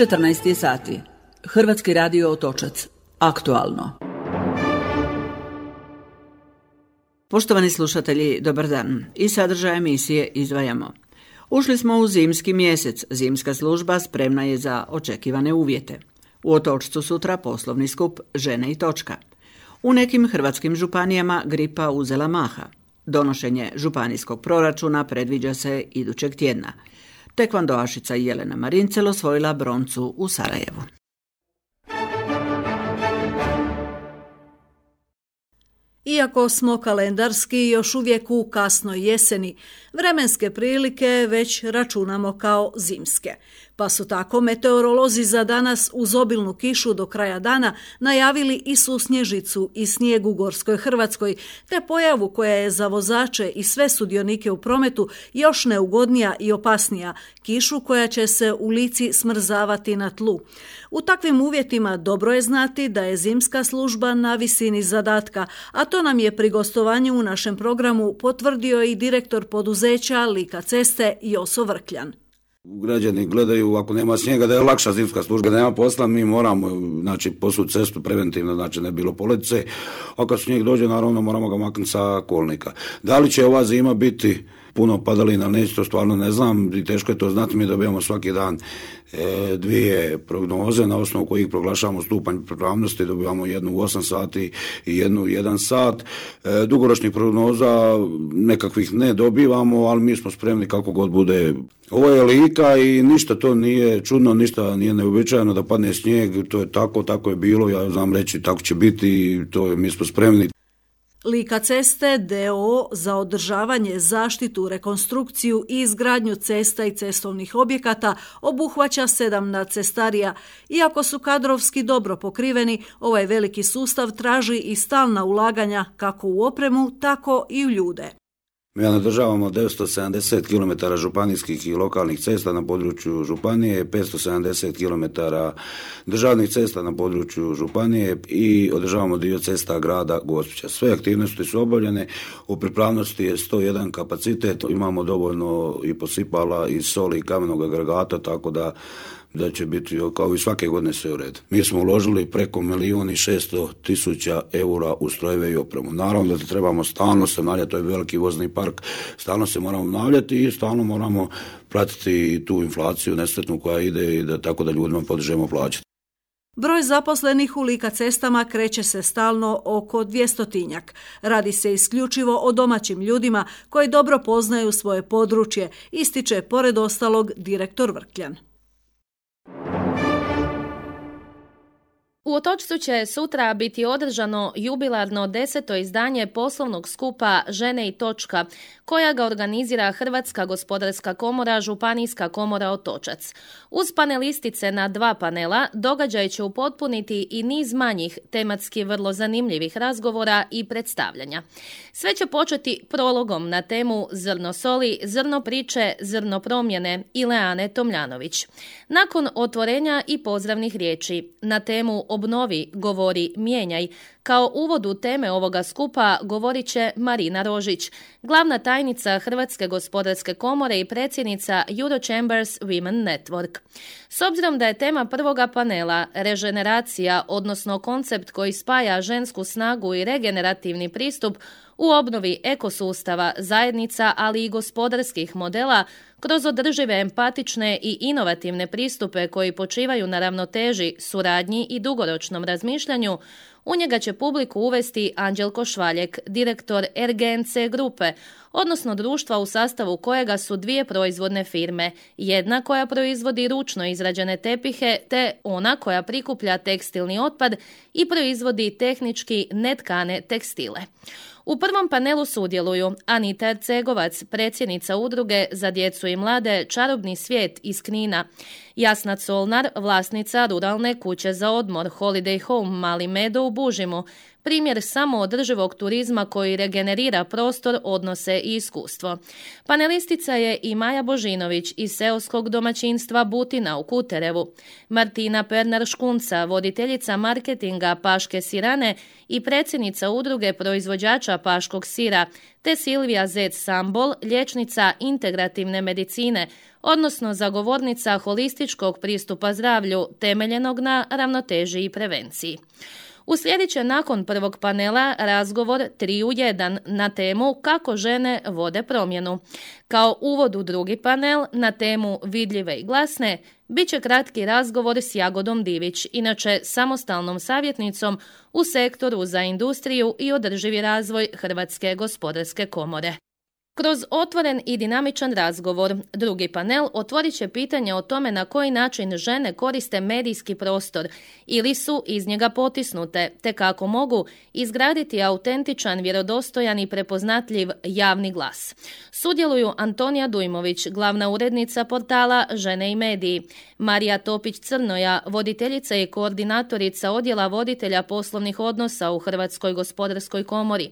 14 sati. Hrvatski radio Otočac. Aktualno. Poštovani slušatelji, dobar dan. Iz sadržaja emisije izdvajamo. Ušli smo u zimski mjesec. Zimska služba spremna je za očekivane uvjete. U Otočcu sutra poslovni skup Žene i točka. U nekim hrvatskim županijama gripa uzela maha. Donošenje županijskog proračuna predviđa se idućeg tjedna. Tekvandoašica Jelena Marincel osvojila broncu u Sarajevu. Iako smo kalendarski još uvijek u kasnoj jeseni, vremenske prilike već računamo kao zimske. Pa su tako meteorolozi za danas uz obilnu kišu do kraja dana najavili i susnježicu i snijeg u Gorskoj Hrvatskoj, te pojavu koja je za vozače i sve sudionike u prometu još neugodnija i opasnija, kišu koja će se u Lici smrzavati na tlu. U takvim uvjetima dobro je znati da je zimska služba na visini zadatka, a to nam je pri gostovanju u našem programu potvrdio i direktor poduzeća Lika ceste Joso Vrkljan. Građani gledaju, ako nema snijega, da je lakša zimska služba, da nema posla, mi moramo posut cestu preventivno, ne bilo police, a kad snijeg dođe, naravno moramo ga maknuti sa kolnika. Da li će ova zima biti puno padalina, neće, to stvarno ne znam i teško je to znati, mi dobijamo svaki dan dvije prognoze na osnovu kojih proglašavamo stupanj pripravnosti, dobivamo jednu u 8 sati i jednu u 1 sat. Dugoročnih prognoza nekakvih ne dobivamo, ali mi smo spremni kako god bude. Ovo je Lika i ništa to nije čudno, ništa nije neuobičajeno da padne snijeg, to je tako je bilo, ja znam reći tako će biti i mi smo spremni. Lika ceste d.o.o. za održavanje, zaštitu, rekonstrukciju i izgradnju cesta i cestovnih objekata obuhvaća 7 nadcestarija. Iako su kadrovski dobro pokriveni, ovaj veliki sustav traži i stalna ulaganja kako u opremu, tako i u ljude. Mi održavamo 970 km županijskih i lokalnih cesta na području županije, 570 km državnih cesta na području županije i održavamo dio cesta grada Gospića. Sve aktivnosti su obavljene, u pripravnosti je 101 kapacitet, imamo dovoljno i posipala i soli i kamenog agregata, tako da će biti kao i svake godine sve u redu. Mi smo uložili preko 1.600.000 eura u strojeve i opremu. Naravno da trebamo stalno se obnavljati, to je veliki vozni park, stalno se moramo obnavljati i stalno moramo pratiti tu inflaciju nesretnu koja ide i tako da ljudima podižemo plaće. Broj zaposlenih u Lika cestama kreće se stalno oko 200-tinjak. Radi se isključivo o domaćim ljudima koji dobro poznaju svoje područje, ističe pored ostalog direktor Vrkljan. U Otočcu će sutra biti održano jubilarno 10. izdanje poslovnog skupa Žene i točka, koja ga organizira Hrvatska gospodarska komora, Županijska komora Otočac. Uz panelistice na 2 panela, događaj će upotpuniti i niz manjih, tematski vrlo zanimljivih razgovora i predstavljanja. Sve će početi prologom na temu Zrno soli, zrno priče, zrno promjene Ileane Tomljanović. Nakon otvorenja i pozdravnih riječi na temu Obnovi, govori, mijenjaj, kao uvod u teme ovoga skupa govorit će Marina Rožić, glavna tajnica Hrvatske gospodarske komore i predsjednica Eurochambers Women Network. S obzirom da je tema prvoga panela regeneracija, odnosno koncept koji spaja žensku snagu i regenerativni pristup u obnovi ekosustava, zajednica, ali i gospodarskih modela, kroz održive, empatične i inovativne pristupe koji počivaju na ravnoteži, suradnji i dugoročnom razmišljanju, u njega će publiku uvesti Anđelko Švaljek, direktor RGNC grupe, odnosno društva u sastavu kojega su 2 proizvodne firme, jedna koja proizvodi ručno izrađene tepihe te ona koja prikuplja tekstilni otpad i proizvodi tehnički netkane tekstile. U prvom panelu sudjeluju Anita Ercegovac, predsjednica udruge za djecu i mlade Čarobni svijet iz Knina, Jasna Colnar, vlasnica ruralne kuće za odmor Holiday Home Mali Meadow u Bužimu, primjer samoodrživog turizma koji regenerira prostor, odnose i iskustvo. Panelistica je i Maja Božinović iz seoskog domaćinstva Butina u Kuterevu, Martina Pernar-Škunca, voditeljica marketinga Paške sirane i predsjednica udruge proizvođača paškog sira, te Silvija Zec-Sambol, liječnica integrativne medicine, odnosno zagovornica holističkog pristupa zdravlju temeljenog na ravnoteži i prevenciji. Uslijedit će nakon prvog panela razgovor 3 u 1 na temu kako žene vode promjenu. Kao uvod u drugi panel na temu vidljive i glasne bit će kratki razgovor s Jagodom Divić, inače samostalnom savjetnicom u sektoru za industriju i održivi razvoj Hrvatske gospodarske komore. Kroz otvoren i dinamičan razgovor, drugi panel otvorit će pitanje o tome na koji način žene koriste medijski prostor ili su iz njega potisnute, te kako mogu izgraditi autentičan, vjerodostojan i prepoznatljiv javni glas. Sudjeluju Antonija Dujmović, glavna urednica portala Žene i mediji, Marija Topić-Crnoja, voditeljica i koordinatorica odjela voditelja poslovnih odnosa u Hrvatskoj gospodarskoj komori,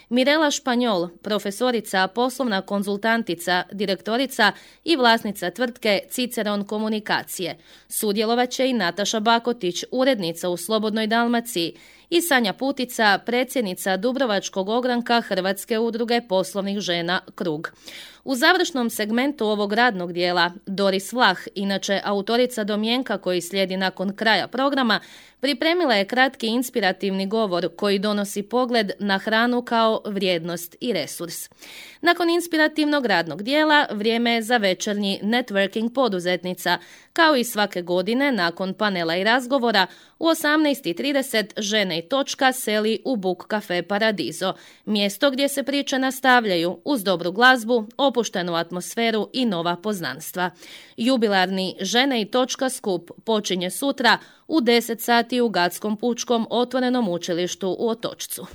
Mirela Španjol, profesorica, poslovna konzultantica, direktorica i vlasnica tvrtke Ciceron komunikacije. Sudjelovat će i Nataša Bakotić, urednica u Slobodnoj Dalmaciji, i Sanja Putica, predsjednica Dubrovačkog ogranka Hrvatske udruge poslovnih žena Krug. U završnom segmentu ovog radnog dijela Doris Vlah, inače autorica domjenka koji slijedi nakon kraja programa, pripremila je kratki inspirativni govor koji donosi pogled na hranu kao vrijednost i resurs. Nakon inspirativnog radnog dijela vrijeme je za večernji networking poduzetnica. Kao i svake godine, nakon panela i razgovora, u 18:30 Žene i točka seli u Book Cafe Paradiso, mjesto gdje se priče nastavljaju uz dobru glazbu, opuštenu atmosferu i nova poznanstva. Jubilarni Žene i točka skup počinje sutra u 10 sati u Gatskom pučkom otvorenom učilištu u Otočcu.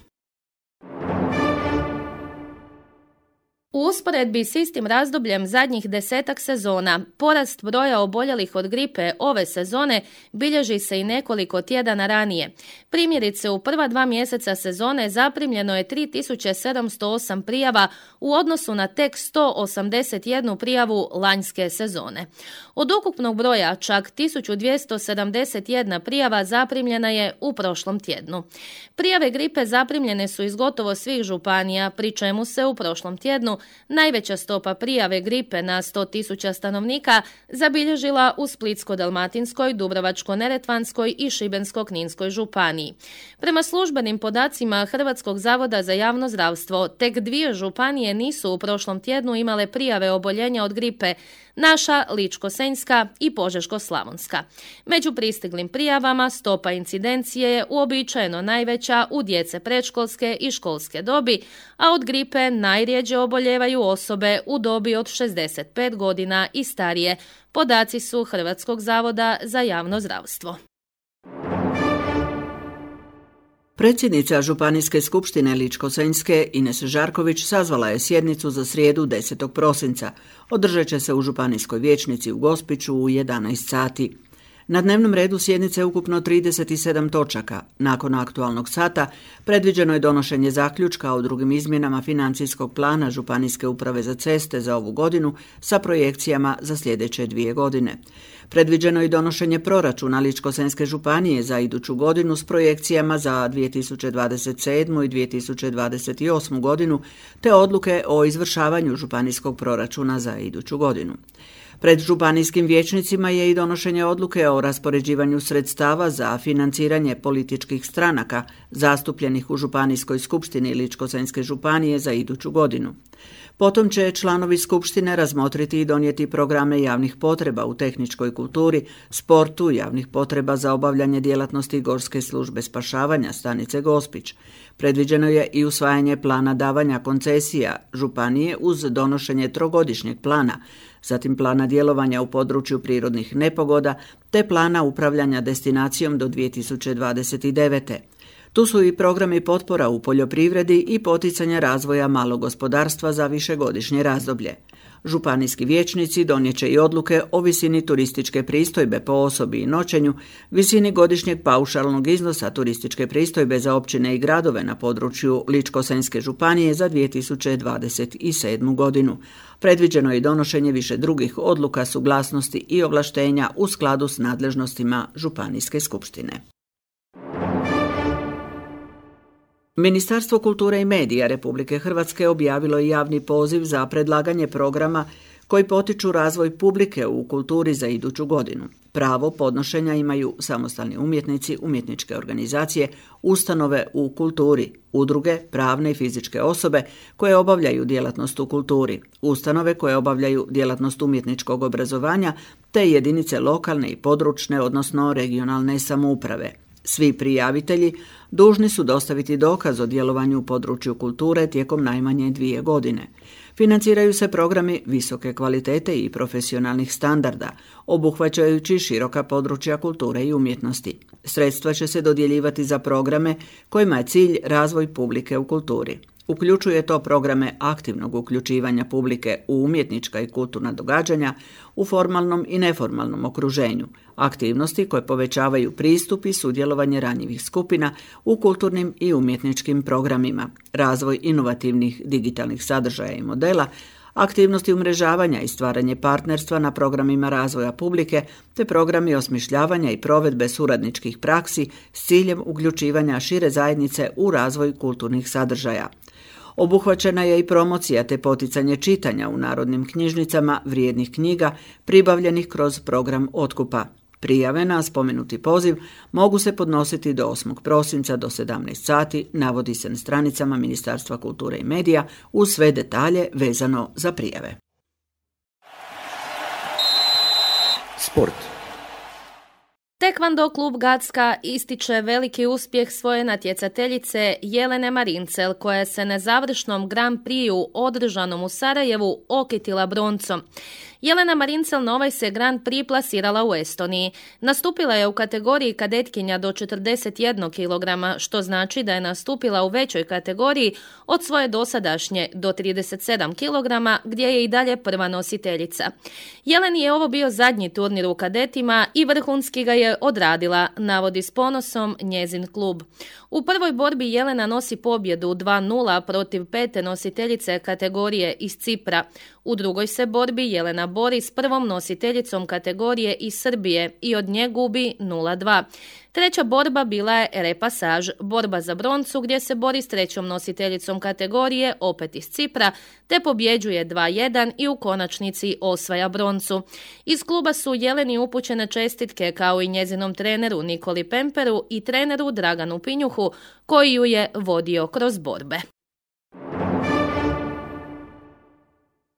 U usporedbi s istim razdobljem zadnjih 10-ak sezona, porast broja oboljelih od gripe ove sezone bilježi se i nekoliko tjedana ranije. Primjerice, u prva 2 mjeseca sezone zaprimljeno je 3708 prijava u odnosu na tek 181 prijavu lanjske sezone. Od ukupnog broja čak 1271 prijava zaprimljena je u prošlom tjednu. Prijave gripe zaprimljene su iz gotovo svih županija, pri čemu se u prošlom tjednu najveća stopa prijave gripe na 100.000 stanovnika zabilježila u Splitsko-dalmatinskoj, Dubrovačko-neretvanskoj i Šibensko-kninskoj županiji. Prema službenim podacima Hrvatskog zavoda za javno zdravstvo, tek 2 županije nisu u prošlom tjednu imale prijave oboljenja od gripe, naša Ličko-senjska i Požeško-slavonska. Među pristiglim prijavama stopa incidencije je uobičajeno najveća u djece predškolske i školske dobi, a od gripe najrjeđe oboljevaju osobe u dobi od 65 godina i starije. Podaci su Hrvatskog zavoda za javno zdravstvo. Predsjednica Županijske skupštine Ličko-senjske Ines Žarković sazvala je sjednicu za srijedu 10. prosinca. Održat će se u Županijskoj vijećnici u Gospiću u 11 sati. Na dnevnom redu sjednice je ukupno 37 točaka. Nakon aktualnog sata predviđeno je donošenje zaključka o drugim izmjenama financijskog plana Županijske uprave za ceste za ovu godinu sa projekcijama za sljedeće 2 godine. Predviđeno je donošenje proračuna Ličko-senjske županije za iduću godinu s projekcijama za 2027. i 2028. godinu te odluke o izvršavanju županijskog proračuna za iduću godinu. Pred županijskim vijećnicima je i donošenje odluke o raspoređivanju sredstava za financiranje političkih stranaka zastupljenih u Županijskoj skupštini Ličko-senjske županije za iduću godinu. Potom će članovi skupštine razmotriti i donijeti programe javnih potreba u tehničkoj kulturi, sportu, javnih potreba za obavljanje djelatnosti Gorske službe spašavanja stanice Gospić. Predviđeno je i usvajanje plana davanja koncesija županije uz donošenje 3-godišnjeg plana, zatim plana djelovanja u području prirodnih nepogoda te plana upravljanja destinacijom do 2029. Tu su i programi potpora u poljoprivredi i poticanja razvoja malog gospodarstva za višegodišnje razdoblje. Županijski vijećnici donijet će i odluke o visini turističke pristojbe po osobi i noćenju, visini godišnjeg paušalnog iznosa turističke pristojbe za općine i gradove na području Ličko-senjske županije za 2027. godinu. Predviđeno je i donošenje više drugih odluka, suglasnosti i ovlaštenja u skladu s nadležnostima Županijske skupštine. Ministarstvo kulture i medija Republike Hrvatske objavilo je javni poziv za predlaganje programa koji potiču razvoj publike u kulturi za iduću godinu. Pravo podnošenja imaju samostalni umjetnici, umjetničke organizacije, ustanove u kulturi, udruge, pravne i fizičke osobe koje obavljaju djelatnost u kulturi, ustanove koje obavljaju djelatnost umjetničkog obrazovanja te jedinice lokalne i područne, odnosno regionalne samouprave. Svi prijavitelji dužni su dostaviti dokaz o djelovanju u području kulture tijekom najmanje 2 godine. Financiraju se programi visoke kvalitete i profesionalnih standarda, obuhvaćajući široka područja kulture i umjetnosti. Sredstva će se dodjeljivati za programe kojima je cilj razvoj publike u kulturi. Uključuje to programe aktivnog uključivanja publike u umjetnička i kulturna događanja u formalnom i neformalnom okruženju, aktivnosti koje povećavaju pristup i sudjelovanje ranjivih skupina u kulturnim i umjetničkim programima, razvoj inovativnih digitalnih sadržaja i modela, aktivnosti umrežavanja i stvaranje partnerstva na programima razvoja publike te programi osmišljavanja i provedbe suradničkih praksi s ciljem uključivanja šire zajednice u razvoj kulturnih sadržaja. Obuhvaćena je i promocija te poticanje čitanja u narodnim knjižnicama vrijednih knjiga pribavljenih kroz program otkupa. Prijave na spomenuti poziv mogu se podnositi do 8. prosinca do 17 sati, navodi se na stranicama Ministarstva kulture i medija uz sve detalje vezano za prijave. Sport. Tekvando klub Gacka ističe veliki uspjeh svoje natjecateljice Jelene Marincel, koja se na završnom Grand Prixu održanom u Sarajevu okitila broncom. Jelena Marincel na ovaj se Grand Prix plasirala u Estoniji. Nastupila je u kategoriji kadetkinja do 41 kg, što znači da je nastupila u većoj kategoriji od svoje dosadašnje do 37 kg, gdje je i dalje prva nositeljica. Jeleni je ovo bio zadnji turnir u kadetima i vrhunski ga je odradila, navodi s ponosom njezin klub. U prvoj borbi Jelena nosi pobjedu 2-0 protiv pete nositeljice kategorije iz Cipra. U drugoj se borbi Jelena bori s prvom nositeljicom kategorije iz Srbije i od nje gubi 0-2. Treća borba bila je repasaž, borba za broncu gdje se bori s trećom nositeljicom kategorije, opet iz Cipra, te pobjeđuje 2-1 i u konačnici osvaja broncu. Iz kluba su Jeleni upućene čestitke kao i njezinom treneru Nikoli Pemperu i treneru Draganu Pinjuhu koji ju je vodio kroz borbe.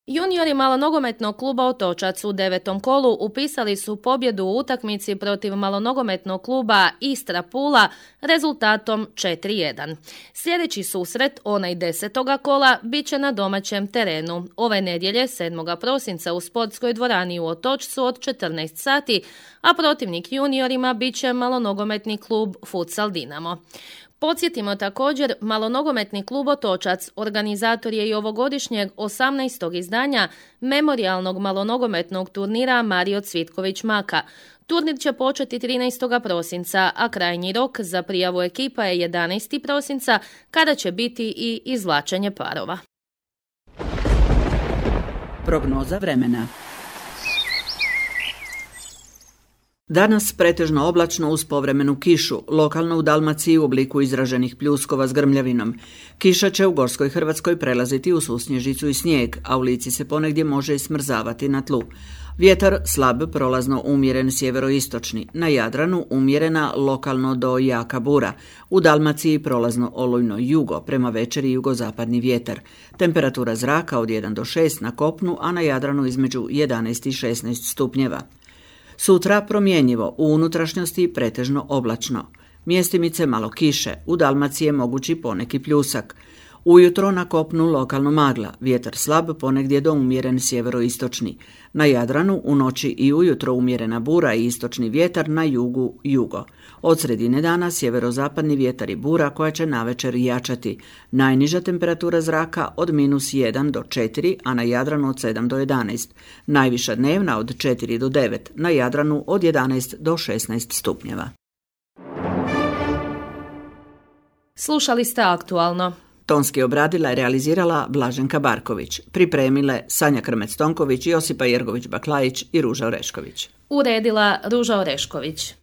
Juniori malonogometnog kluba Otočac u 9. kolu upisali su pobjedu u utakmici protiv malonogometnog kluba Istra Pula rezultatom 4-1. Sljedeći susret, onaj 10. kola, bit će na domaćem terenu. Ove nedjelje, 7. prosinca u sportskoj dvorani u Otočcu od 14 sati, a protivnik juniorima bit će malonogometni klub Futsal Dinamo. Podsjetimo također, malonogometni klub Otočac organizator je i ovogodišnjeg 18. izdanja memorijalnog malonogometnog turnira Mario Cvitković Maka. Turnir će početi 13. prosinca, a krajnji rok za prijavu ekipa je 11. prosinca, kada će biti i izvlačenje parova. Prognoza vremena. Danas pretežno oblačno uz povremenu kišu, lokalno u Dalmaciji u obliku izraženih pljuskova s grmljavinom. Kiša će u Gorskoj Hrvatskoj prelaziti u susnježicu i snijeg, a u Lici se ponegdje može i smrzavati na tlu. Vjetar slab, prolazno umjeren sjeveroistočni, na Jadranu umjerena lokalno do jaka bura, u Dalmaciji prolazno olujno jugo, prema večeri jugozapadni vjetar. Temperatura zraka od 1 do 6 na kopnu, a na Jadranu između 11 i 16 stupnjeva. Sutra promjenjivo, u unutrašnjosti pretežno oblačno. Mjestimice malo kiše, u Dalmaciji je mogući poneki pljusak. Ujutro na kopnu lokalno magla, vjetar slab, ponegdje do umjeren sjeveroistočni. Na Jadranu u noći i ujutro umjerena bura i istočni vjetar, na jugu jugo. Od sredine dana sjeverozapadni vjetar i bura koja će navečer jačati. Najniža temperatura zraka od -1 do 4, a na Jadranu od 7 do 11. Najviša dnevna od 4 do 9, na Jadranu od 11 do 16 stupnjeva. Slušali ste Aktualno. Tonski obradila i realizirala Blaženka Barković. Pripremile Sanja Krmec-Tonković, Josipa Jergović-Baklajić i Ruža Orešković. Uredila Ruža Orešković.